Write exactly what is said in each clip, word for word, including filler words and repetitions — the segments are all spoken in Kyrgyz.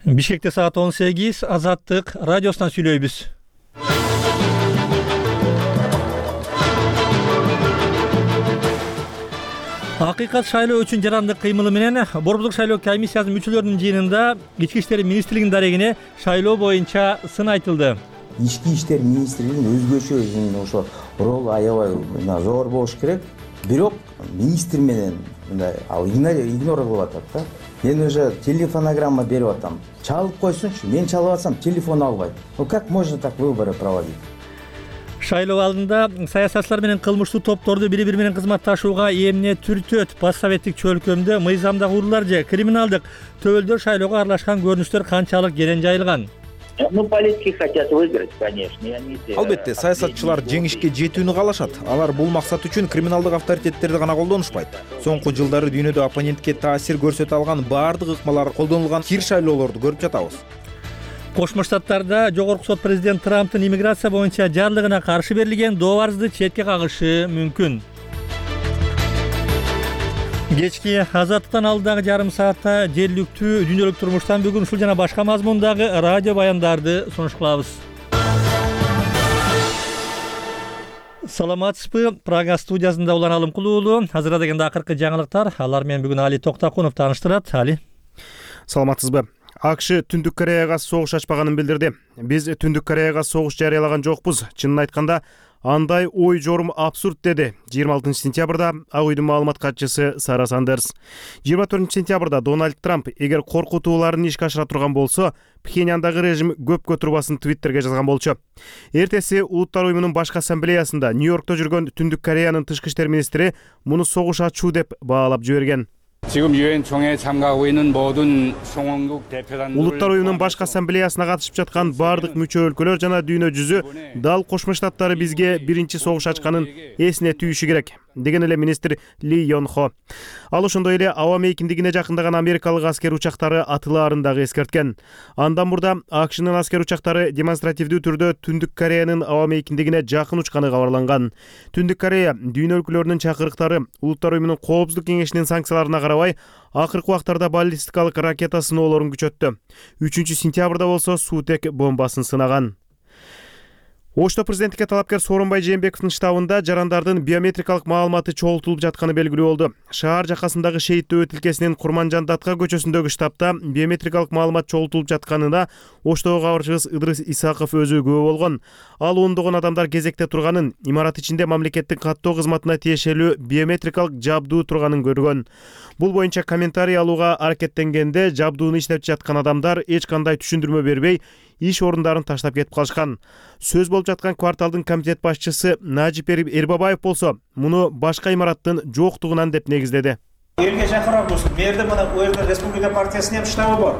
Бишкекте саат он сегиз, Азаттык радиосунан сүйлөйбүз. Акыйкат шайлоо үчүн жарандык кыймылы менен Борбордук шайлоо комиссиясынын мүчөлөрүнүн жыйынында Ички иштер министрлигинин дарегине шайлоо боюнча сын айтылды. Ички иштер министрлигинин өзгөчө ошо ролу аябай зор болуш керек. Бирок министр менен мындай ал игнор кылып атат да. Мен уже телефонограмма берип атам. Чалып койсунчу, мен чалып атсам телефон албайт. Ну как можно так выборы проводить? Шайлоо алдында саясатчылар менен кылмыштуу топторду бири-бири менен кызматташууга эмне түртөт? Постсоветтик чөлкөмдө мыйзамдагы уруулар же криминалдык төбөлдөр шайлоого аралашкан көрүнүштөр канчалык кенен жайылган? Ну, политики хотят выиграть, конечно. Албетте, саясатчылар жеңишке жетүүнү каалашат. Алар бул максат үчүн криминалдык авторитеттерди гана колдонушпайт. Соңку жылдары дүйнөдө оппонентке таасир көрсөтө алган баардык ыкмалар колдонулган кир шайлоолорду көрүп жатабыз. Кошмо Штаттарда жогорку сот президент Трамптын иммиграция боюнча жарлыгына каршы берилген дообарызды четке кагышы мүмкүн. Кечки Азаттыктан алдагы жарым саатта жергиликтүү дүйнөлүк турмуштан бүгүн ушул жана башка мазмундагы радио баяндарды сунуш кылабыз. Саламатсызбы? Прага студиясында Улан Алымкулуулу. Азыр дегенде акыркы жаңылыктар. Алар менен бүгүн Али Токтакунов тааныштырат. Али. Саламатсызбы? АКШ Түндүк Кореяга согуш ачпаганын билдирди. Биз Түндүк Кореяга согуш жарыялаган жокпуз. Чынын айтканда, андай ой жорум абсурд, деди жыйырма алтынчы сентябрда Ак үйдүн маалымат катчысы Сара Сандерс. жыйырма төртүнчү сентябрда Дональд Трамп эгер коркутууларын ишке ашыра турган болсо, Пхеньяндагы режим көпкө турбасын Твиттерге жазган болчу. Эртеси Улуттар уюмунун башкы ассамблеясында Нью-Йоркто жүргөн Түндүк Кореянын тышкы иштер министри муну согуш ачуу деп баалап жиберген. 지금 유엔 총회에 참가하고 있는 모든 송원국 대표단들 Улуттар уюмунун башкы ассамблеясына катышып жаткан бардык мүчө өлкөлөр жана дүйнө жүзү дал Кошмо Штаттары бизге биринчи согуш ачканын эсине түйүшү керек, деген эле министр Ли Йон Хо. Ал ошондой эле аба мейкиндигине жакындаган америкалык аскер учактары атылаарын дагы эскерткен. Андан мурда АКШнын аскер учактары демонстративдүү түрдө Түндүк Кореянын аба мейкиндигине жакын учканы кабарланган. Түндүк Корея дүйнө өлкөлөрүнүн чакырыктары Улуттар уюмунун Коопсуздук кеңешинин санкцияларына карабай акыркы убактарда баллистикалык ракета сыноолорун күчөттү. үчүнчү сентябрда болсо суутек бомбасын сынаган. Ошто президенттикке талапкер Сооронбай Жээнбековдун штабында жарандардын биометрикалык маалыматы чогултулуп жатканы белгилүү болду. Шаар жакасындагы Шейит дөбө тилкесинин Курманжан Датка көчөсүндөгү штабта биометрикалык маалымат чогултулуп жатканына Оштого кабарчыбыз Ыдрыс Исаков өзү күбө болгон. Ал ондогон адамдар кезекте турганын, имарат ичинде мамлекеттик каттоо кызматына тиешелүү биометрикалык жабдуу турганын көргөн. Бул боюнча комментарий алууга аракеттенгенде жабдууну иштеп жаткан адамдар эч кандай түшүндүрмө бербей, иш орундарын таштап кетип калышкан. Сөз болуп жаткан кварталдын комитет башчысы Нажип Эрбабаев болсо, муну башка имараттын жоктугунан деп негиздеди. Элге жакыныраак болсун. Мерде мына Уэрдер Республика партиясынын штабы бар.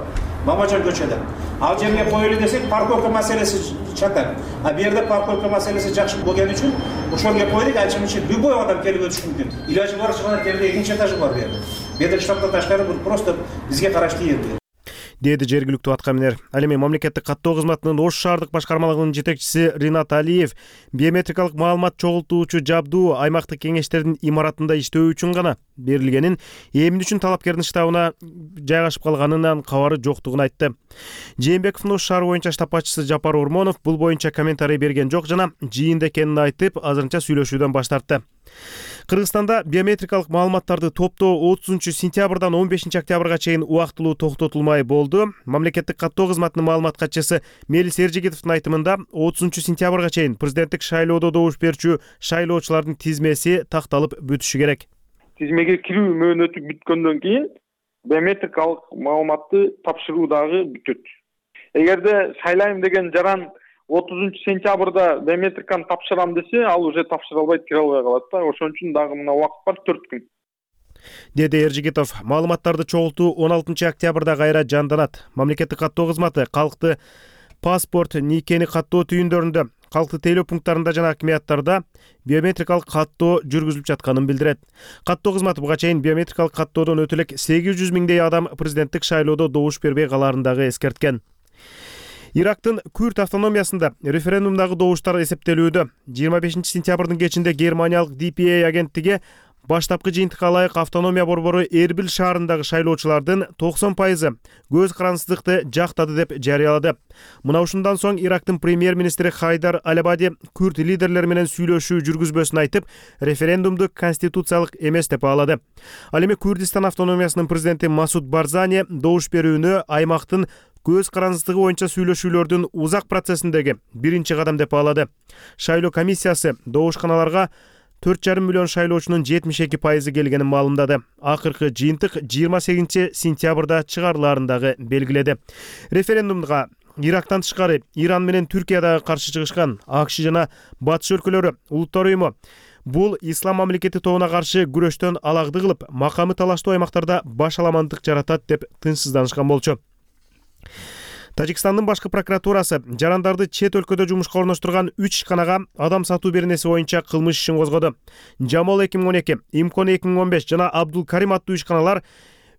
Мамажан көчөдө. Ал жерге коелу десек, парковка маселеси чатат. А бу жерде парковка маселеси жакшы болгон үчүн ошол жерге койдук, ачым үчүн любой адам келип өтүшү мүмкүн. Илажы бар чыгана жерде экинчи этажы бар бу жерде. Бу жерде штабтан ташкары бул просто бизге караштуу жер. Деди жергиликтүү аткаминер. Ал эми мамлекеттик каттоо кызматынын Ош шаардык башкармалыгынын жетекчиси Ринат Алиев биометрикалык маалымат чогултуучу жабдуу аймактык кеңештердин имаратында иштөө үчүн гана берилгенин, эмне үчүн талапкердин штабына жайгашып калганынан кабары жоктугун айтты. Жээнбековдун Ош шаары боюнча штаб башчысы Жапар Урмонов бул боюнча комментарий берген жок жана жыйында экенин айтып, азырынча сүйлөшүүдөн баш тартты. Кыргызстанда биометрикалык маалыматтарды топтоо отузунчу сентябрдан он бешинчи октябрга чейин убактылуу токтотулмай болду. Мамлекеттик каттоо кызматынын маалымат катчысы Мелис Эржигитовдун айтымында отузунчу сентябрга чейин президенттик шайлоодо добуш берүүчү шайлоочулардын тизмеси такталып бүтүшү керек. Тизмеге кирүү мөөнөтү бүткөндөн кийин биометрикалык маалыматты тапшыруу дагы бүтөт. Эгерде шайлайм деген жаран отузунчу сентябрда биометриканы тапшырам десе, ал уже тапшыра албайт, кире албай калат да. Ошон үчүн дагы мына убакыт бар, төрт күн. Деди Эржигитов. Маалыматтарды чогултуу он алтынчы октябрда кайра жанданат. Мамлекеттик каттоо кызматы калкты паспорт, никени каттоо түйүндөрүндө, калкты тейлөө пункттарында жана акимияттарда биометрикалык каттоо жүргүзүлүп жатканын билдирет. Каттоо кызматы буга чейин биометрикалык каттоодон өтө элек сегиз жүз миңдей адам президенттик шайлоодо добуш бербей калаарын дагы эскерткен. Ирактын Күрд автономиясында референдумдагы добуштар эсептелүүдө. жыйырма бешинчи сентябрдын кечинде Германиялык ди пи эй агенттиги Баштапкы жыйынтыкка ылайык автономия борбору Эрбил шаарындагы шайлоочулардын токсон пайызы көз карансыздыкты жактады деп жарыялады. Мына ушундан соң Ирактын премьер-министри Хайдар Аль-Абади күрд лидерлери менен сүйлөшүү жүргүзбөсүн айтып, референдумду конституциялык эмес деп баалады. Ал эми Курдистан автономиясынын президенти Масуд Барзани добуш берүүнү аймактын көз карансыздыгы боюнча сүйлөшүүлөрдүн узак процессиндеги биринчи кадам деп баалады. Шайлоо комиссиясы добушканаларга төрт жарым миллион шайлоочунун жетимиш эки пайызы келгенин маалымдады. Акыркы жыйынтык жыйырма сегизинчи сентябрда чыгарылаарын дагы белгиледи. Референдумга Ирактан тышкары Иран менен Түркия дагы каршы чыгышкан. АКШ жана Батыш өлкөлөрү улуттар уюму бул ислам мамлекети тобуна каршы күрөштөн алагды кылып, макамы талаштуу аймактарда баш аламандык жаратат деп тынчсызданышкан болчу. Тажикстандын башкы прокуратурасы жарандарды чет өлкөдө жумушка орноштурган үч ишканага адам сатуу беренеси боюнча кылмыш ишин козгоду. Жамол эки миң он эки, Имкон эки миң он беш жана Абдул Карим аттуу ишканалар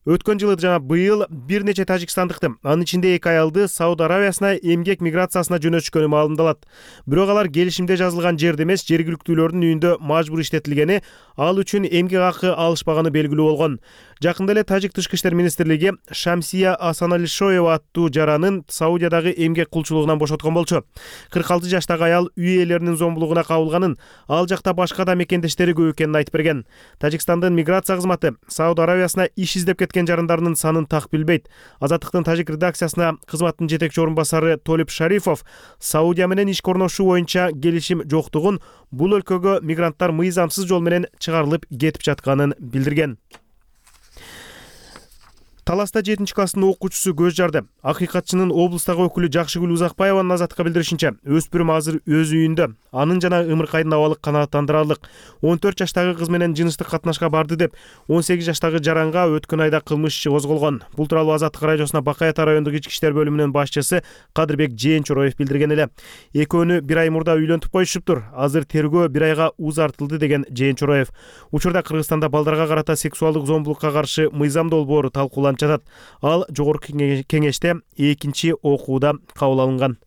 өткөн жылы жана быйыл бир нече тажикстандыкты, анын ичинде эки аялды Сауд Аравиясына эмгек миграциясына жөнөтүшкөнү маалымдалат. Бирок алар келишимде жазылган жерде эмес, жергиликтүүлөрдүн үйүндө мажбур иштетилгени, ал үчүн эмгек акы алышпаганы белгилүү болгон. Жакында эле Тажик тышкы иштер министрлиги Шамсия Асаналишоева аттуу жаранын Саудиядагы эмгек кулчулугунан бошоткон болчу. кырк алты жаштагы аял үй ээлеринин зомбулугуна кабылганын, ал жакта башка да мекендештери көп экенин айтып берген. Тажикстандын миграция кызматы Сауд Аравиясына иш издеп кеткен жарандарынын санын так билбейт. Азаттыктын Тажик редакциясына кызматтын жетекчи орун басары Толип Шарифов Саудия менен ишке орношуу боюнча келишим жоктугун, бул өлкөгө мигранттар мыйзамсыз жол менен чыгарылып кетип жатканын билдирген. Таласта жетинчи класстын окуучусу көз жарды. Акыйкатчынын облустагы өкүлү Жакшыгүл Узакбаеванын азаттыкка билдиришинче, өспүрүм азыр өз үйүндө. Анын жана ымыркайдын абалы канааттандырарлык. он төрт жаштагы кыз менен жыныстык катнашка барды деп, он сегиз жаштагы жаранга өткөн айда кылмыш иши козголгон. Бул тууралуу Азаттык радиосуна Бакай Ата райондук ички иштер бөлүмүнүн башчысы Кадырбек Жээнчуроев билдирген эле. Экөөнү бир ай мурда үйлөнтүп коюшуптур. Азыр тергөө бир айга узартылды деген Жээнчуроев. Учурда Кыргызстанда балдарга карата сексуалдык зомбулукка каршы мыйзам долбоору талкууланып жатат. Ал жогорку кеңеште экинчи окууда кабыл алынган.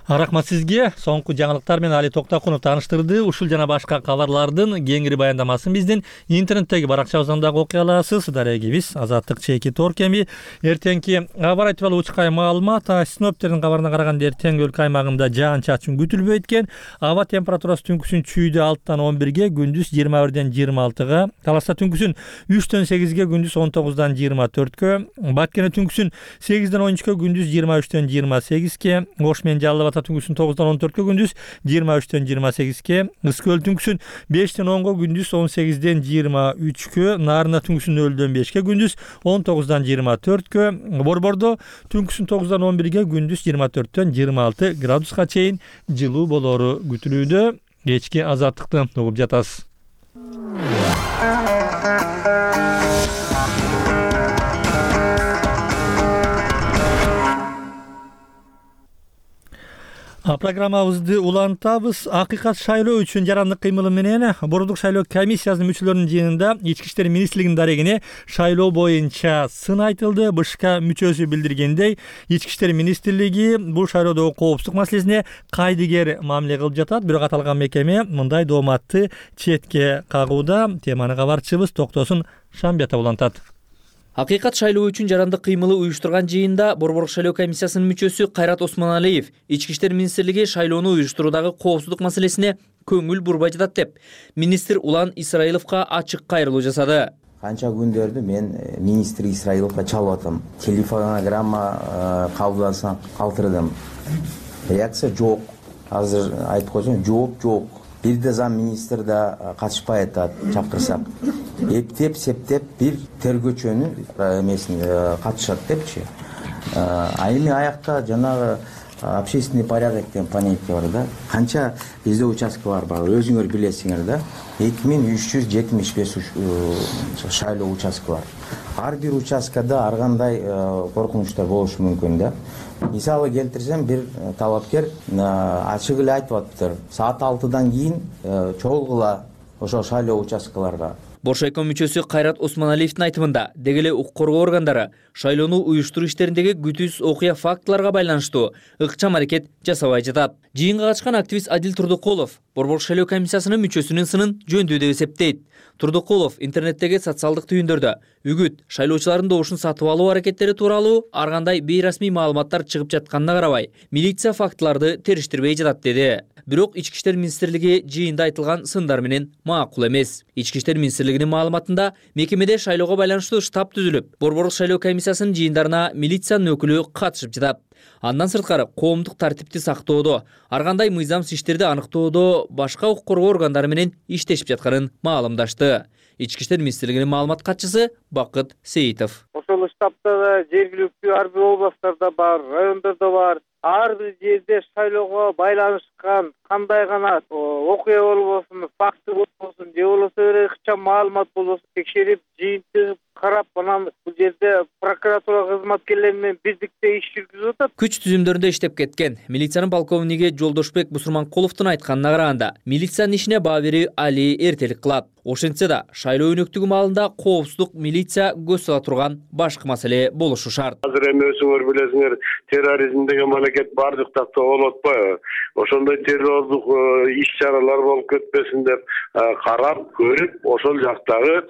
Рахмат сизге. Соңку жаңылыктар менен Али Токтокунов тааныштырды. Ушул жана башка кабарлардын кеңири баяндамасын биздин интернеттеги баракчабыздан дагы окуй аласыз. Дарегибиз Азаттык чеки торкеми. Эртеңки аба ырайы тууралуу учкай маалымат. Синоптиктердин кабарына караганда эртең өлкө аймагында жаан-чачын күтүлбөйт экен. Аба температурасы түнкүсүн чүйдө алтыдан он бирге, күндүз жыйырма бирден жыйырма алтыга, Таласта түнкүсүн үчтөн сегизге, күндүз он тогуздан жыйырма төрткө, Баткене түнкүсүн сегизден он үчкө, күндүз жыйырма үчтөн жыйырма сегизге, Ош менен Жалал Абад түнкүсүн тогуздан он төрткө, күндүз жыйырма үчтөн жыйырма сегизге, Ыскөөл түнкүсүн бештен онго, күндүз он сегизден жыйырма үчкө, Нарында түнкүсүн нөлдөн бешке, күндүз он тогуздан жыйырма төрткө, Борбордо түнкүсүн тогуздан он бирге, күндүз жыйырма төрттөн жыйырма алты градуска чейин жылуу болору күтүлүүдө. Кечки Азаттыкты угуп жатасыз. Программабызды улантабыз. Акыйкат шайлоо үчүн жарандык кыймылы менен Борбордук шайлоо комиссиясынын мүчөлөрүнүн жыйынында Ички иштер министрлигинин дарегине шайлоо боюнча сын айтылды. БШК мүчөсү билдиргендей, Ички иштер министрлиги бул шайлоодогу коопсуздук маселесине кайдыгер мамиле кылып жатат. Бирок аталган мекеме мындай дооматты четке кагууда. Теманы кабарчыбыз Токтосун Шамбиятов улантат. Акыйкат шайлоо үчүн жарандык кыймылы уюштурган жыйында Борбордук шайлоо комиссиясынын мүчөсү Кайрат Осмоналиев Ички иштер министрлиги шайлоону уюштуруудагы коопсуздук маселесине көңүл бурбай жатат деп, министр Улан Исраиловго ачык кайрылуу жасады. Канча күндөрдү мен министр Исраиловго чалып атам. Телефонограмма кабылдасаң калтырдым. Реакция жок. Азыр айтып койсоң, жооп жок. Бир да зам министр да катышпай атат, чакырсак. Эптеп, септеп бир тергөөчөнү эмесин катышат депчи. А эми аякта жанагы общественный порядок деген понятие бар да. Канча бизде участкалар бар, өзүңөр билесиңер да. эки миң үч жүз жетимиш беш шайлоо участка бар. Ар бир участкада ар кандай коркунучтар болушу мүмкүн да. Мисалы келтирсем, бир талапкер ачык эле айтып атыптыр. Саат алтыдан кийин чогулгула ошо шайлоо участкаларга. Боршайком мүчөсү Кайрат Осмоналиевдин айтымында деги эле укук коргоо органдары шайлоону уюштуруу иштериндеги күтүүсүз окуя фактыларга байланыштуу ыкчам аракет жасабай жатат. Жыйынга катышкан активист Адил Турдукулов Борбор шайлоо комиссиясынын мүчөсүнүн сынын жөндүү деп эсептейт. Турдукулов интернеттеги социалдык түйүндөрдө үгүт шайлоочулардын добушун сатып алуу аракеттери тууралуу ар кандай бейрасмий маалыматтар чыгып жатканына карабай, милиция фактыларды териштирбей жатат деди. Бирок Ички иштер министрлиги жыйында айтылган сындар менен макул эмес. Ички иштер министрлигинин маалыматында мекемеде шайлоого байланыштуу штаб түзүлүп, Борборлук шайлоо комиссиясынын жыйындарына милициянын өкүлү катышып жатат. Андан сырткары коомдук тартипти сактоодо, ар кандай мыйзамсыз иштерди аныктоодо башка укук коргоо органдары менен иштешип жатканын маалымдашты. Ички иштер министрлигинин маалымат катчысы Бакыт Сейитов. Ошол штабта да жергиликтүү ар бир областтарда бар, райондордо бар. Ар бир жерде шайлоого байланышкан кандай гана окуя болбосун, факты болбосун, же болбосо бир ыкчам маалымат болбосун текшерип, жыйынтыгып карап, анан бул жерде прокуратура кызматкерлери менен бирдикте иш жүргүзүп атат. Күч түзүмдөрүндө иштеп кеткен милициянын полковниги Жолдошбек Бусурманкуловдун айтканына караганда, милициянын ишине баа берүү али эртелик кылат. Ошентсе да, шайлоо өнөктүгү маалында коопсуздук милиция көз сала турган башкы маселе болушу шарт. Азыр эми өзүңөр билесиңер, терроризм деген мамлекет бардык такта болуп атпайбы? Ошондой террорлук иш-чаралар болуп кетпесин деп карап, көрүп, ошол жактагы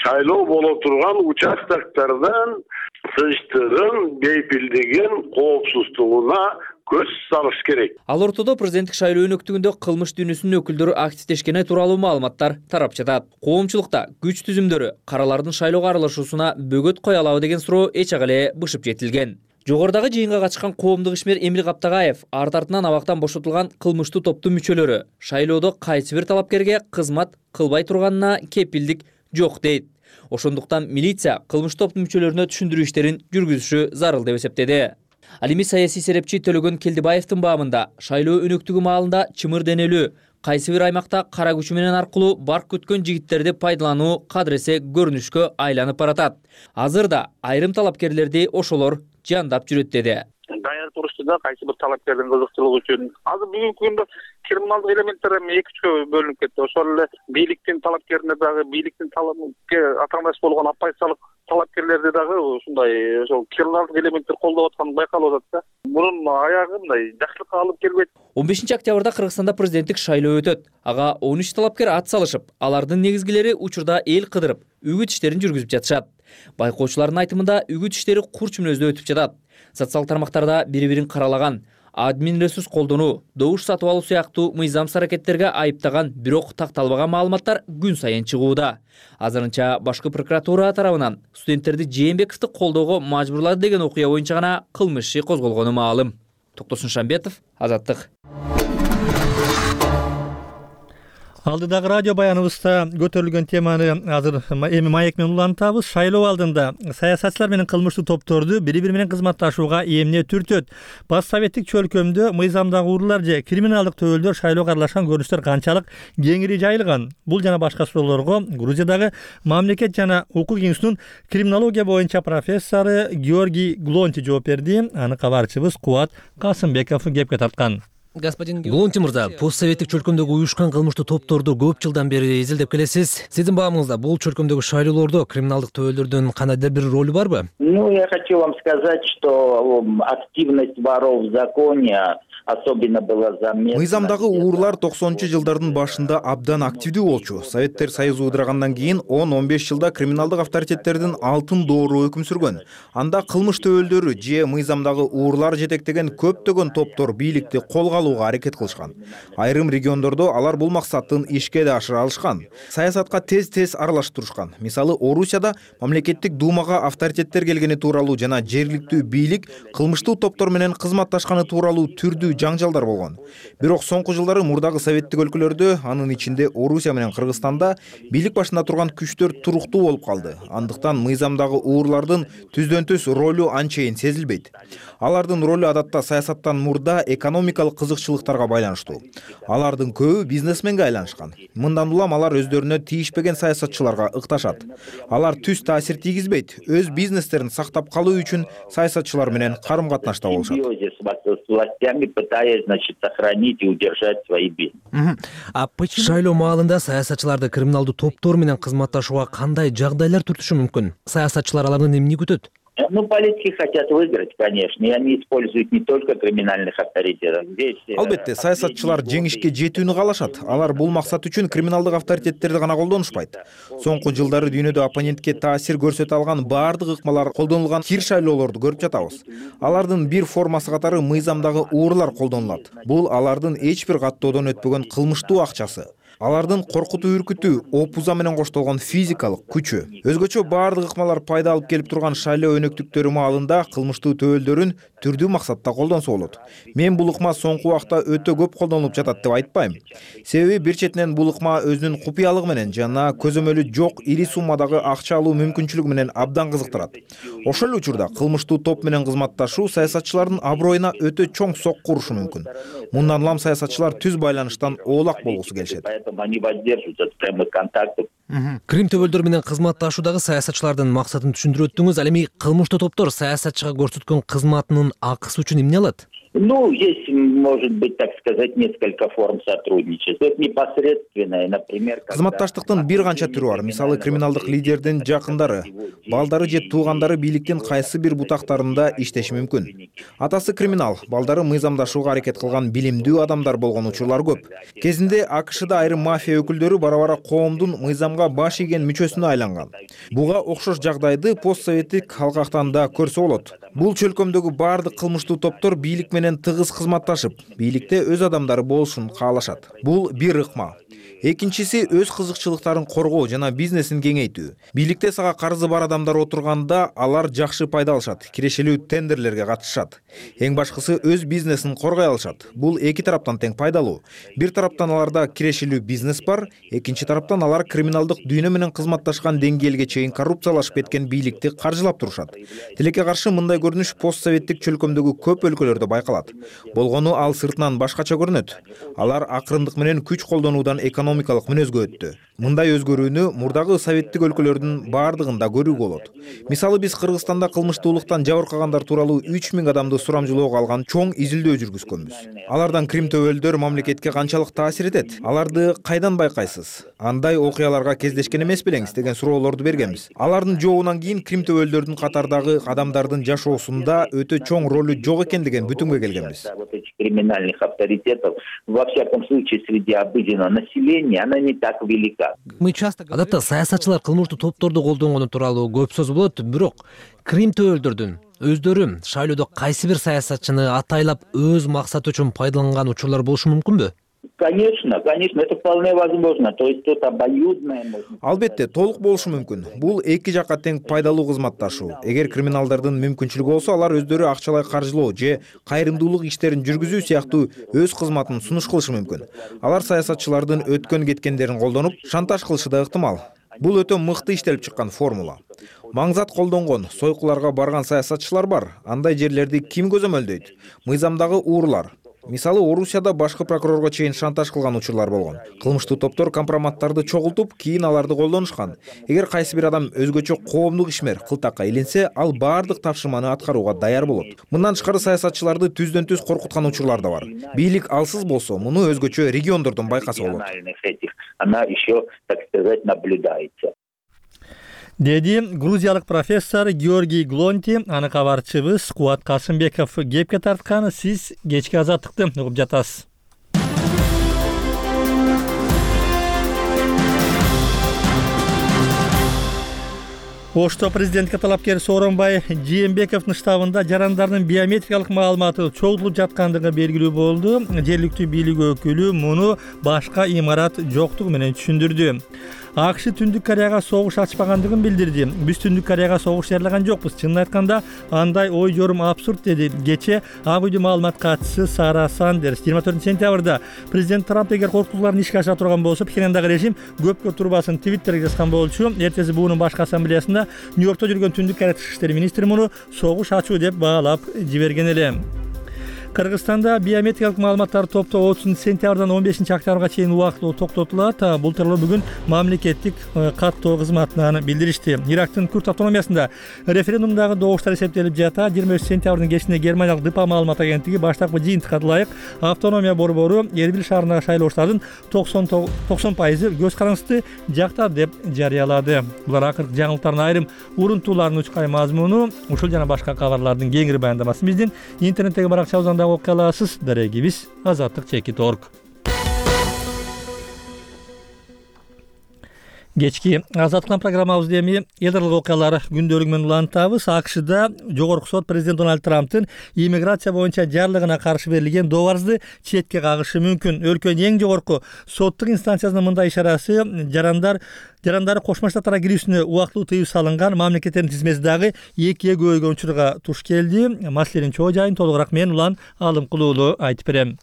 шайлоо боло турган участоктордон тынчтыгын, бейпилдигин, коопсуздугуна көз салыш керек. Ал ортодо президенттик шайлоо өнөктүгүндө кылмыш дүйнөсүнүн өкүлдөрү активдешкени тууралуу маалыматтар тарап жатат. Коомчулукта күч түзүмдөрү каралардын шайлоого аралашуусуна бөгөт кое алабы деген суроо эч ак эле бышып жетилген. Жогорудагы жыйынга катышкан коомдук ишмер Эмил Каптагаев арт артынан абактан бошотулган кылмыштуу топтун мүчөлөрү шайлоодо кайсы бир талапкерге кызмат кылбай турганына кепилдик жок дейт. Ошондуктан милиция кылмыш топтун мүчөлөрүнө түшүндүрүү иштерин жүргүзүшү зарыл деп эсептеди. Ал эми саясий серепчи Төлөгөн Келдибаевдин баамында шайлоо өнөктүгү маалында чымыр денелүү, кайсы бир аймакта кара күчү менен аркылуу барк күткөн жигиттерди пайдалануу кадыресе көрүнүшкө айланып баратат. Азырда айрым талапкерлерди ошолор жандап жүрөт деди. Даяр турушта да кайсы бир талапкердин кызыкчылыгы үчүн азыр бүгүнкү күндө криминалдык элементтер эми эки үчкө бөлүнүп кетти. Ошол эле бийликтин талапкерине дагы бийликтин талапке атамаш болгон оппозициялык талапкерлерди дагы ушундай ошол криминалдык элементтер колдоп атканы байкалып атат да. Мунун аягы мындай жакшылыкка алып келбейт. он бешинчи октябрда Кыргызстанда президенттик шайлоо өтөт. Ага он үч талапкер ат салышып, алардын негизгилери учурда эл кыдырып, үгүт иштерин жүргүзүп жатышат. Байкоочулардын айтымында үгүт иштери курч мүнөздө өтүп жатат. Социалдык тармактарда бири-бирин каралаган, админ ресурс колдонуу, добуш сатып алуу сыяктуу мыйзамсыз аракеттерге айыптаган, бирок такталбаган маалыматтар күн сайын чыгууда. Азырынча башкы прокуратура тарабынан студенттерди Жээнбековду колдоого мажбурлады деген окуя боюнча гана кылмыш иши козголгону маалым. Токтосун Шамбетов, Азаттык. Алдыдагы радио баяныбызда көтөрүлгөн теманы азыр эми маек менен улантабыз. Шайлоо алдында саясатчылар менен кылмыштуу топторду бири-бири менен кызматташууга эмне түртөт? Бас советтик чөлкөмдө мыйзамдагы уруулар же криминалдык төбөлдөр шайлоого аралашкан көрүнүштөр канчалык кеңири жайылган? Бул жана башка суроолорго Грузиядагы мамлекет жана укук институтунун криминология боюнча профессору Георгий Глонти жооп берди. Аны кабарчыбыз Кубат Касымбеков кепке тарткан. Глонти мырза, постсоветтик чөлкөмдөгү уюшкан кылмыштуу топторду көп жылдан бери изилдеп келесиз. Сиздин баамыңызда бул чөлкөмдөгү шайлоолордо криминалдык төбөлдөрдүн кандайдыр бир ролу барбы? Ну, я хочу вам сказать, что активность воров в законе особенно была заметна. Мыйзамдагы уруулар токсонунчу жылдардын башында абдан активдүү болчу. Советтер Союзу ыдырагандан кийин он он беш жылда криминалдык авторитеттердин алтын доору өкүм сүргөн. Анда кылмыш төбөлдөрү же мыйзамдагы уруулар жетектеген көптөгөн топтор бийликти колго алууга аракет кылышкан. Айрым региондордо алар бул максаттын ишке да ашыра алышкан. Саясатка тез-тез аралашып турушкан. Мисалы, Орусияда мамлекеттик думага авторитеттер келгени тууралуу жана жергиликтүү бийлик кылмыштуу топтор менен кызматташканы тууралуу түрдүү жаңжалдар болгон. Бирок соңку жылдары мурдагы советтик өлкөлөрдө, анын ичинде Орусия менен Кыргызстанда бийлик башында турган күчтөр туруктуу болуп калды. Андыктан мыйзамдагы уруулардын түздөн-түз ролу анчейин сезилбейт. Алардын ролу адатта саясаттан мурда экономикалык кызыкчылыктарга байланыштуу. Алардын көбү бизнесменге айланышкан. Мындан улам алар өздөрүнө тийишпеген саясатчыларга ыкташат. Алар түз таасир тийгизбейт, өз бизнестерин сактап калуу үчүн саясатчылар менен карым-катнашта болушат. пытаясь, значит, сохранить и удержать свои бизнесы. Шайлоо маалында саясатчыларды криминалдуу топтор менен кызматташууга кандай жагдайлар түртүшү мүмкүн? Саясатчылар алардан эмне күтөт? Ну, политики хотят выиграть, конечно, и они используют не только криминальных авторитетов. Здесь... Албетте, саясатчылар жеңишке жетүүнү каалашат. Алар бул максат үчүн криминалдык авторитеттерди гана колдонушпайт. Соңку жылдары дүйнөдө оппонентке таасир көрсөтө алган баардык ыкмалар колдонулган кир шайлоолорду көрүп жатабыз. Алардын бир формасы катары мыйзамдагы уурулар колдонулат. Бул алардын эч бир каттоодон өтпөгөн кылмыштуу акчасы. Алардын коркутуу, үркүтүү, опуза менен коштолгон физикалык күчү. Өзгөчө баардык ыкмалар пайда алып келип турган шайлоо өнөктүктөрү маалында кылмыштуу төбөлдөрүн түрдүү максатта колдонсо болот. Мен бул ыкма соңку убакта өтө көп колдонулуп жатат деп айтпайм. Себеби бир четинен бул ыкма өзүнүн купуялыгы менен жана көзөмөлү жок ири суммадагы акча алуу мүмкүнчүлүгү менен абдан кызыктырат. Ошол эле учурда кылмыштуу топ менен кызматташуу саясатчылардын аброюна өтө чоң сокку урушу мүмкүн. Мындан улам саясатчылар түз байланыштан оолак болгусу келишет. Они воздерживаются от прямых контактов. Крим төбөлдөр менен кызматташуудагы саясатчылардын максатын түшүндүрүп өттүңүз. Ал эми кылмыштуу топтор саясатчыга көрсөткөн кызматынын акысы үчүн эмне алат? Ну, здесь может быть, так сказать, несколько форм сотрудничества. Это непосредственное, например... Кызматташтыктын бир канча түрү бар. Мисалы, криминалдык лидердин жакындары, балдары же туугандары бийликтин кайсы бир бутактарында иштеши мүмкүн. Атасы криминал, балдары мыйзамдашууга аракет кылган билимдүү адамдар болгон учурлар көп. Кезинде АКШда айрым мафия өкүлдөрү бара-бара коомдун мыйзамга баш ийген мүчөсүнө айланган. Буга окшош жагдайды постсоветтик алкактан да көрсө болот. Бул чөлкөмдөгү баардык кылмыштуу топтор бийлик менен тыгыз кызматташып, бийликте өз адамдары болушун каалашат. Бул бир ыкма. Экинчиси өз кызыкчылыктарын коргоо жана бизнесин кеңейтүү. Бийликте сага карызы бар адамдар отурганда алар жакшы пайда алышат, кирешелүү тендерлерге катышат. Эң башкысы өз бизнесин коргой алышат. Бул эки тараптан тең пайдалуу. Бир тараптан аларда кирешелүү бизнес бар, экинчи тараптан алар криминалдык дүйнө менен кызматташкан деңгээлге чейин коррупциялашып кеткен бийликти каржылап турушат. Тилекке каршы мындай көрүнүш постсоветтик чөлкөмдөгү көп өлкөлөрдө байкалат. Болгону ал сыртынан башкача көрүнөт. Алар акырындык менен күч колдонуудан экономикалык мүнөзгө өттү. Мындай өзгөрүүнү мурдагы советтик өлкөлөрдүн баардыгында көрүүгө болот. Мисалы, биз Кыргызстанда кылмыштуулуктан жабыркагандар тууралуу үч миң адамды сурамжылоого алган чоң изилдөө жүргүзгөнбүз. Алардан крим төбөлдөр мамлекетке канчалык таасир этет? Аларды кайдан байкайсыз? Андай окуяларга кездешкен эмес белеңиз деген суроолорду бергенбиз. Алардын жообунан кийин крим төбөлдөрдүн катардагы адамдардын жашоосунда өтө чоң ролу жок экендиген бүтүнгө келгенбиз. Криминальных авторитетов, во всяком случае, среди обыденного населения, она не так велика. Адатта саясатчылар кылмыштуу топторду колдонгону тууралуу көп сөз болот, бирок крим төбөлдөрдүн өздөрү шайлоодо кайсы бир саясатчыны атайлап өз максаты үчүн пайдаланган учурлар болушу мүмкүнбү? Конечно, конечно, это вполне возможно. То есть тут обоюдное. Албетте, толук болушу мүмкүн. Бул эки жакка тең пайдалуу кызматташуу. Эгер криминалдардын мүмкүнчүлүгү болсо, алар өздөрү акчалай каржылоо же кайрымдуулук иштерин жүргүзүү сыяктуу өз кызматын сунуш кылышы мүмкүн. Алар саясатчылардын өткөн кеткендерин колдонуп, шантаж кылышы да ыктымал. Бул өтө мыкты иштелип чыккан формула. Маңзат колдонгон, сойкуларга барган саясатчылар бар. Андай жерлерди ким көзөмөлдөйт? Мыйзамдагы уурулар. Мисалы, Орусияда башкы прокурорго чейин шантаж кылган учурлар болгон. Кылмыштуу топтор компроматтарды чогултуп, кийин аларды колдонушкан. Эгер кайсы бир адам өзгөчө коомдук ишмер кылтакка илинсе, ал баардык тапшырманы аткарууга даяр болот. Мындан тышкары саясатчыларды түздөн түз коркуткан учурлар да бар. Бийлик алсыз болсо, муну өзгөчө региондордон байкаса болот. Она еще, так сказать, наблюдается. Деди грузиялык профессор Георгий Глонти, аны кабарчыбыз Кубат Касымбеков кепке тарткан. Сиз кечки азаттыкты угуп жатасыз. Ошто президентке талапкер Сооронбай Жээнбековдун штабында жарандардын биометрикалык маалыматы чогултулуп жаткандыгы белгилүү болду. Жергиликтүү бийлик өкүлү муну башка имарат жоктугу менен түшүндүрдү. АКШ Түндүк Кореяга согуш ачпагандыгын билдирди. Биз Түндүк Кореяга согуш жарыяган жокпуз. Чынын айтканда, андай ой жорум абсурд, деди кечээ Ак үйдүн маалымат катчысы Сара Сандерс. жыйырма төртүнчү сентябрда президент Трамп эгер коркутууларын ишке ашыра турган болсо, Пхеньяндагы режим көпкө турбасын Твиттерге жазган болчу. Эртеси буунун башкы ассамблеясында Нью-Йоркто жүргөн Түндүк Корея тышкы иштер министри муну согуш ачуу деп баалап жиберген эле. Кыргызстанда биометрикалык маалыматтарды топтоо отузунчу сентябрдан он бешинчи октябрга чейин убактылуу токтотулат. Бул тууралуу бүгүн мамлекеттик каттоо кызматынан билдиришти. Ирактын Күрд автономиясында референдумдагы добуштар эсептелип жатат. жыйырма үчүнчү сентябрдын кечинде Германиялык ДПА маалымат агенттиги баштапкы жыйынтыкка ылайык автономия борбору Эрбил шаарындагы шайлоочулардын токсон пайызы көз карандысты жактап деп жарыялады. Булар акыркы жаңылыктардын айрым урунтууларынын учкай мазмуну. Ушул жана башка кабарлардын кеңири баяндамасын биздин интернеттеги баракчабыздан дагы окуя аласыз. Дарегибиз азаттык чекит орг. Кечки азаттык программабызды эми эл аралык окуялар күндөлүгү менен улантабыз. АКШда жогорку сот президент Дональд Трамптын иммиграция боюнча жарлыгына каршы берилген добарызды четке кагышы мүмкүн. Өлкөнүн эң жогорку соттук инстанциясынын мындай ишарасы жарандар жарандары Кошмо Штаттарга кирүүсүнө убактылуу тыюу салынган мамлекеттердин тизмеси дагы экиге көбөйгөн учурга туш келди. Маселенин чоо жайын толугураак мен Улан Алымкулуулу айтып берем.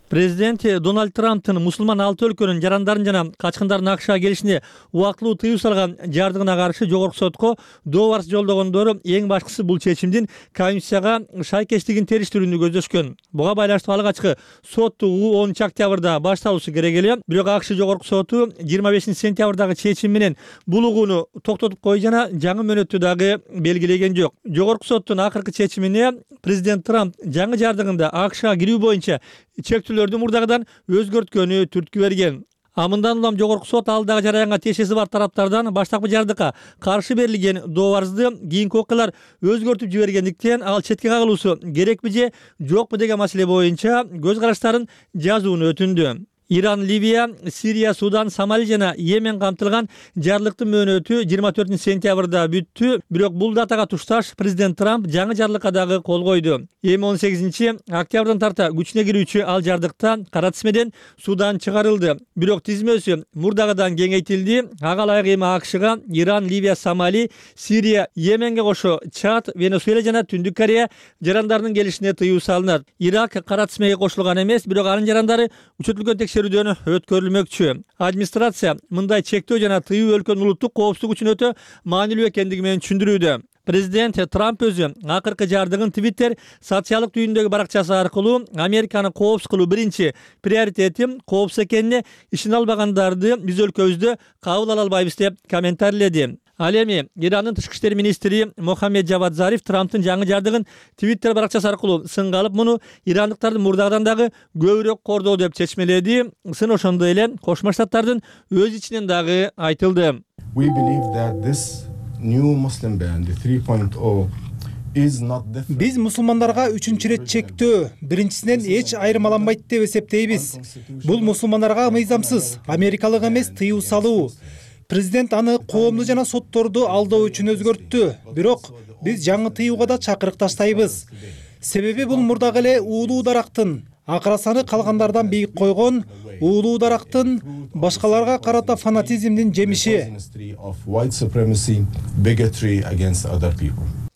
Президент Дональд Трамптын мусулман алты өлкөнүн жарандарын жана качкындардын АКШга келишине убактылуу тыюу салган жардыгына каршы жогорку сотко добарыз жолдогондору эң башкысы бул чечимдин Конституцияга шайкештигин териштирүүнү көздөшкөн. Буга байланыштуу алгачкы соттуу онунчу октябрда башталышы керек эле. Бирок АКШ жогорку соту жыйырма бешинчи сентябрдагы чечим менен бул угууну токтотуп койду жана жаңы мөөнөттү дагы белгилеген жок. Жогорку соттун акыркы чечимине президент Трамп жаңы жардыгында АКШга кирүү боюнча чектүүлөрдү мурдагыдан өзгөрткөнү түрткү берген. А мындан улам жогорку сот алдагы жараянга тиешеси бар тараптардан баштапкы жардыкка каршы берилген добарызды кийинки окуялар өзгөртүп жибергендиктен ал четке кагылуусу керекпи же жокпу деген маселе боюнча көз караштарын жазууну өтүндү. Иран, Ливия, Сирия, Судан, Сомали жана Йемен камтылган жарлыктын мөөнөтү жыйырма төртүнчү сентябрда бүттү. Бирок бул датага тушташ президент Трамп жаңы жарлыкка дагы кол койду. Эми он сегизинчи октябрдан тарта күчүнө кирүүчү ал жардыкта кара тизмеден Судан чыгарылды. Бирок тизмеси мурдагыдан кеңейтилди. Ага ылайык эми АКШга Иран, Ливия, Сомали, Сирия, Йеменге кошо Чад, Венесуэла жана Түндүк Корея жарандарынын келишине тыюу салынат. Ирак кара тизмеге кошулган эмес, бирок анын жарандары күчөтүлгөн текшерүүдөн өткөрүлмөкчү. Администрация мындай чектөө жана тыюу өлкөнүн улуттук коопсуздугу үчүн өтө маанилүү экендиги менен түшүндүрүүдө. Президент Трамп өзү акыркы жардыгын Twitter социалдык түйүндөгү баракчасы аркылуу Американы коопсуз кылуу биринчи приоритетим, коопсуз экенине ишене албагандарды биз өлкөбүздө кабыл ала албайбыз деп комментарийледи. Ал эми Ирандын тышкы иштер министри Мохаммед Жавад Зариф Трамптын жаңы жардыгын Twitter баракчасы аркылуу сынга алып, муну ирандыктардын мурдагыдан дагы көбүрөөк кордоо деп чечмеледи. Сын ошондой эле Кошмо Штаттардын өз ичинен дагы айтылды. We believe that this new Muslim ban, the three point oh, is not different. Биз мусулмандарга үчүнчү ирет чектөө биринчисинен эч айырмаланбайт деп эсептейбиз. Бул мусулмандарга мыйзамсыз, америкалык эмес тыюу салуу. Президент аны коомду жана сотторду алдоо үчүн өзгөрттү. Бирок биз жаңы тыюуга да чакырык таштайбыз. Себеби бул мурдагы эле уулуу дарактын акрасаны калгандардан бийик койгон, уулуу дарактын башкаларга карата фанатизмдин жемиши.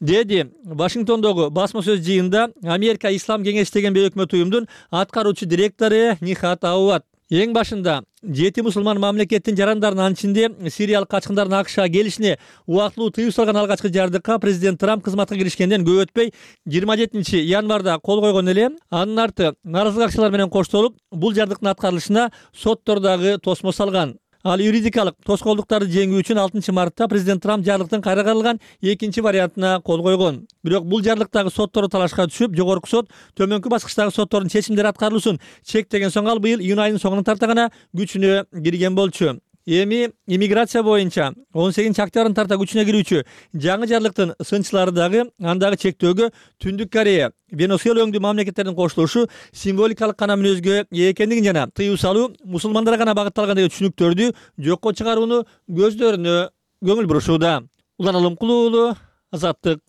Деди Вашингтондогу басма сөз жыйында Америка Ислам кеңеши деген бейөкмөт уюмдун аткаруучу директору Нихат Ауат. Эң башында жети мусулман мамлекеттин жарандарынын анын ичинде сириялык качкындардын АКШга келишине убактылуу тыюу салган алгачкы жардыкка президент Трамп кызматка киришкенден көп өтпөй жыйырма жетинчи январда кол койгон эле. Анын арты нааразылык акчалар менен коштолуп, бул жардыктын аткарылышына соттор дагы тосмо салган. Ал юридикалык тоскоолдуктарды жеңүү үчүн алтынчы мартта президент Трамп жарлыктын кайра каралган экинчи вариантына кол койгон. Бирок бул жарлыктагы соттору талашка түшүп, жогорку сот төмөнкү баскычтагы соттордун чечимдери аткарылуусун чектеген соң ал быйыл июнь айынын соңуна тарта гана күчүнө кирген болчу. Эми иммиграция боюнча он сегизинчи октябрдан тарта күчүнө кирүүчү жаңы жарлыктын сынчылары дагы андагы чектөөгө Түндүк Корея, Венесуэла өңдүү мамлекеттердин кошулушу символикалык гана мүнөзгө ээ экендигин жана тыюу салуу мусулмандарга гана багытталган деген түшүнүктөрдү жокко чыгарууну көздөрүнө көңүл бурушууда. Улан Алымкулуулу, Азаттык.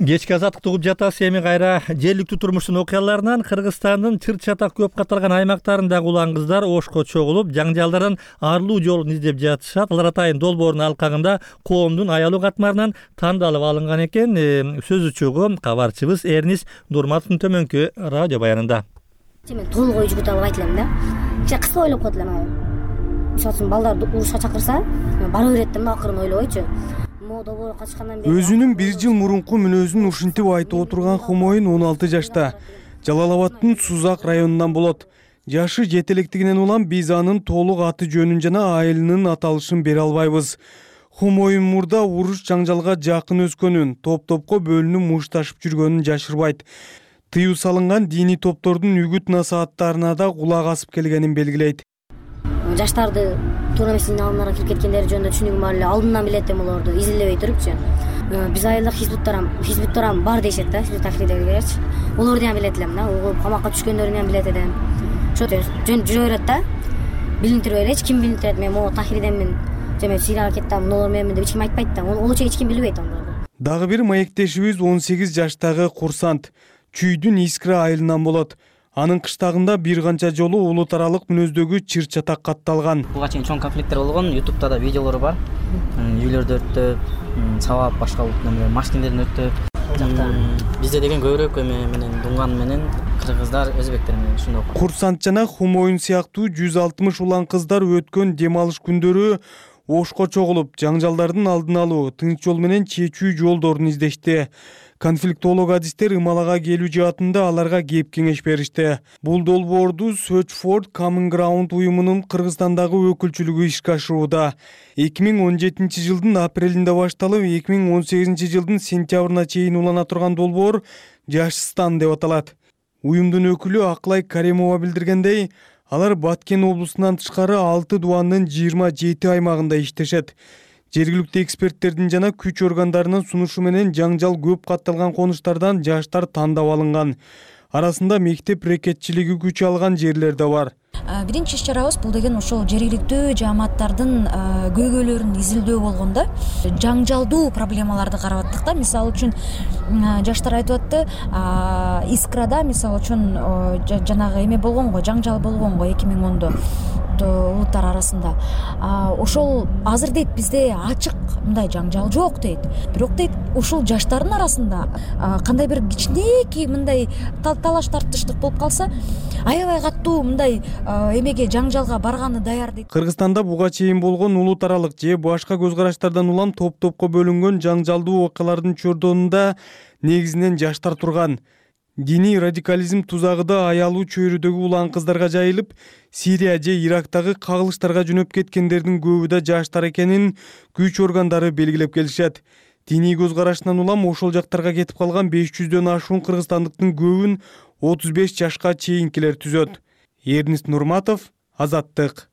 Кечки азаттыкты угуп жатасыз. Эми кайра жергиликтүү турмуштун окуяларынан Кыргызстандын чыр чатак көп каталган аймактарындагы улан кыздар ошко чогулуп, жаңжалдардан арылуу жолун издеп жатышат. Алар атайын долбоордун алкагында коомдун аялуу катмарынан тандалып алынган экен. Сөз учугу кабарчыбыз Эрнис Дурматовдун төмөнкү радио баянында. Мен толук ой жүгүтө албайт элем да. Же кыска ойлоп коет элем. Мисалы үчүн балдарды урушка чакырса, бара берет деп акырын ойлобойчу. могу долбоорго катышкандан бери өзүнүн бир жыл мурунку мүнөзүн ушинтип айтып отурган Хумоюн он алты жашта, Жалал Абаддын Сузак районунан болот. Жашы жетелектигинен улам биз анын толук аты жөнүн жана айылынын аталышын бере албайбыз. Хумоюн мурда уруш жаңжалга жакын өскөнүн, топ-топко бөлүнүп мушташып жүргөнүн жашырбайт. Тыюу салынган диний топтордун үгүт насааттарына да кулак асып келгенин белгилейт. Жаштарды туура эмес алымдарга кирип кеткендери жөнүндө түшүнүгүм бар эле. Алдынан билет эм олорду изилдебей турупчу. Биз айылдык хизбуттарам, хизбуттарам бар дешет да, хизбут тахридегилерчи. Олорду да билет элем да, угуп камакка түшкөндөрүн да билет элем. Ошо жөн жүрө берет да. Билинтирбей элечи, ким билинтирет, мен могу тахридеммин, же мен Сирияга кеттим, нолор менмин деп эч ким айтпайт да. Олучу эч ким билбейт андарды. Дагы бир маектешибиз он сегиз жаштагы курсант. Чүйдүн Искра айылынан болот. Анын кыштагында бир канча жолу улут аралык мүнөздөгү чыр чатак катталган. Буга чейин чоң конфликттер болгон, ютубта да видеолору бар. Үйлөрдү өрттөп, сабап башка машиналерин өрттөп. Бизде деген көбүрөөк эме менен дунган менен кыргыздар, өзбектер менен ушундай. Курсант жана Хумоюн сыяктуу жүз алтымыш улан кыздар өткөн дем алыш күндөрү ошко чогулуп, жаңжалдардын алдын алуу, тынч жол менен чечүү жолдорун издешти. Конфликтолог адистер ымалага келүү жаатында аларга кеп кеңеш беришти. Бул долбоорду Search for Common Ground уюмунун Кыргызстандагы өкүлчүлүгү ишке ашырууда. эки миң он жетинчи жылдын апрелинде башталып, эки миң он сегизинчи жылдын сентябрына чейин улана турган долбоор Жашстан деп аталат. Уюмдун өкүлү Аклай Каримова билдиргендей, алар Баткен облусунан тышкары алты дубандын жыйырма жети аймагында иштешет. Жергиликтүү эксперттердин жана күч органдарынын сунушу менен жаңжал көп катталган конуштардан жаштар тандап алынган. Арасында мектеп рекетчилиги күч алган жерлер да бар. Биринчи иш-чарабыз бул деген ошол жергиликтүү жааматтардын көйгөйлөрүн изилдөө болгон да. Жаңжалдуу проблемаларды карап аттык да. Мисалы үчүн жаштар айтып атты, Искрада мисалы үчүн жанагы эме болгон го, жаңжал болгон го эки миң ондо улуттар арасында. Ошол азыр дейт бизде ачык мындай жаңжал жок дейт. Бирок дейт ушул жаштардын арасында кандай бир кичинекей мындай талаш тартыштык болуп калса, аябай катуу мындай эмеге жаңжалга барганы даяр дейт. Кыргызстанда буга чейин болгон улут аралык же башка көз караштардан улам топ-топко бөлүнгөн жаңжалдуу окуялардын чордонунда негизинен жаштар турган. Диний радикализм тузагыда аялуу чөйрөдөгү улан кыздарга жайылып, Сирия же Ирактагы кагылыштарга жөнөп кеткендердин көбү да жаштар экенин күч органдары белгилеп келишет. Диний көз карашынан улам ошол жактарга кетип калган беш жүздөн ашуун кыргызстандыктын көбүн отуз беш жашка чейинкилер түзөт. Эрнист Нурматов, Азаттык.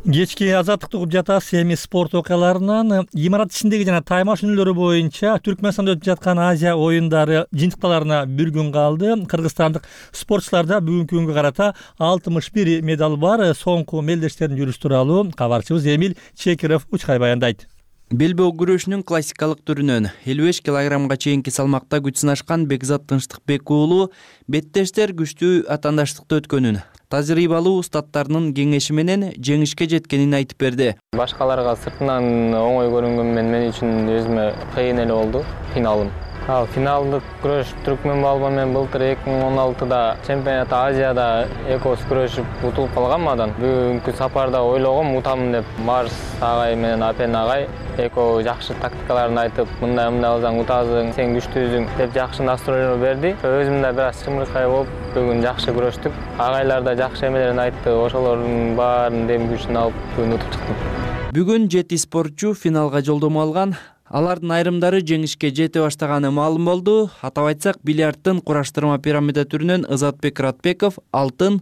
Кечки азаттыкты угуп жатасыз. Эми спорт окуяларынан имарат ичиндеги жана тайма шөнөлөрү боюнча Түркмөнстанда өтүп жаткан Азия оюндары жыйынтыкталарына бир күн калды. Кыргызстандык спортчуларда бүгүнкү күнгө карата алтымыш бир медаль бар. Соңку мелдештердин жүрүшү тууралуу кабарчыбыз Эмил Чекиров Учкай баяндайт. Белбөө күрөшүнүн классикалык түрүнөн элүү беш килограммга чейинки салмакта күч сынашкан Бекзат Тынчтыкбек уулу беттештер күчтүү атаандаштыкты өткөнүн, тажрыйбалуу устаттарынын кеңеши менен жеңишке жеткенин айтып берди. Башкаларга сыртынан оңой көрүнгөн менен мен үчүн өзүмө кыйын эле болду финалым. Ал финалдык күрөш Түркмөн балбан менен былтыр эки миң он алтыда чемпионат Азияда экөөбүз күрөшүп утулуп калганмадан. Бүгүнкү сапарда ойлогом утамын деп Марс агай менен Апен агай экөө жакшы тактикаларын айтып, мындай мындай кылсаң утасың, сен күчтүүсүң деп жакшы настроение берди. Өзүм да бир аз чымыркай болуп бүгүн жакшы күрөштүк. Агайлар да жакшы эмелерин айтты, ошолордун баарын дем күчүн алып бүгүн утуп чыктым. Бүгүн жети спортчу финалга жолдомо алган. Алардын айрымдары жеңишке жете баштаганы маалым болду. Атап айтсак, бильярдтын кураштырма пирамида түрүнөн Ызатбек Ратбеков алтын,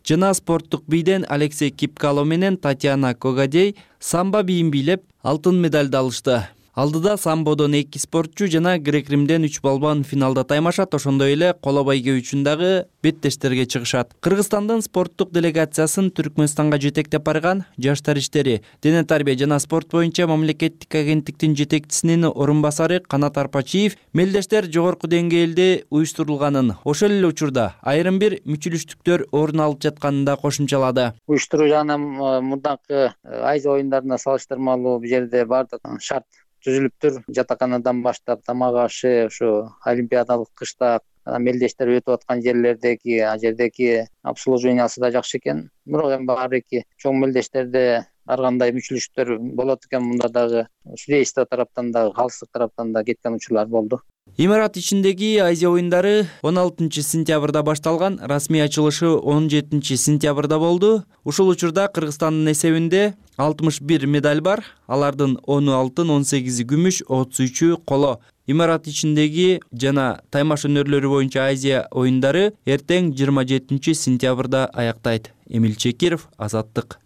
жана спорттук бийден Алексей Кипкало менен Татьяна Когадей самбо бийин бийлеп алтын медальды алышты. Алдыда самбодон эки спортчу жана грек-римден үч балбан финалда таймашат, ошондой эле коло байгө үчүн дагы беттештерге чыгышат. Кыргызстандын спорттук делегациясын Түркмөнстанга жетектеп барган жаштар иштери, дене тарбия жана спорт боюнча мамлекеттик агенттиктин жетекчисинин орун басары Канат Арпачиев мелдештер жогорку деңгээлде уюштурулганын, ошол эле учурда айрым бир мүчүлүштүктөр орун алып жатканын да кошумчалады. Уюштуруу жагынан мурдакы Азия оюндарына салыштырмалуу бул жерде бардык шарт түзүлүптүр. Жатаканадан баштап тамак ашы, ушу олимпиадалык кышта мелдештер өтүп аткан жерлердеги, а жердеги обслуживаниясы да жакшы экен. Бирок эми баары эки чоң мелдештерде ар кандай мүчүлүштөр болот экен, мында дагы судейство тараптан дагы, калыстык тараптан да кеткен учурлар болду. Имарат ичиндеги Азия оюндары он алтынчы сентябрда башталган, расмий ачылышы он жетинчи сентябрда болду. Ушул учурда Кыргызстандын эсебинде алтымыш бир медаль бар. Алардын ону алтын, он сегизи күмүш, отуз үчү коло. Имарат ичиндеги жана таймаш өнөрлөрү боюнча Азия оюндары эртең жыйырма жетинчи сентябрда аяктайт. Эмил Чекиров, Азаттык.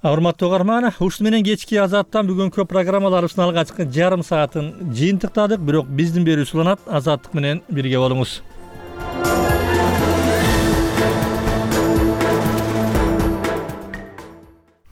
Урматтуу угарман, ушуну менен кечки Азаттан бүгүнкү программаларыбыздын алгачкы жарым саатын жыйынтыктадык, бирок биздин берүү уланат. Азаттык менен бирге болуңуз.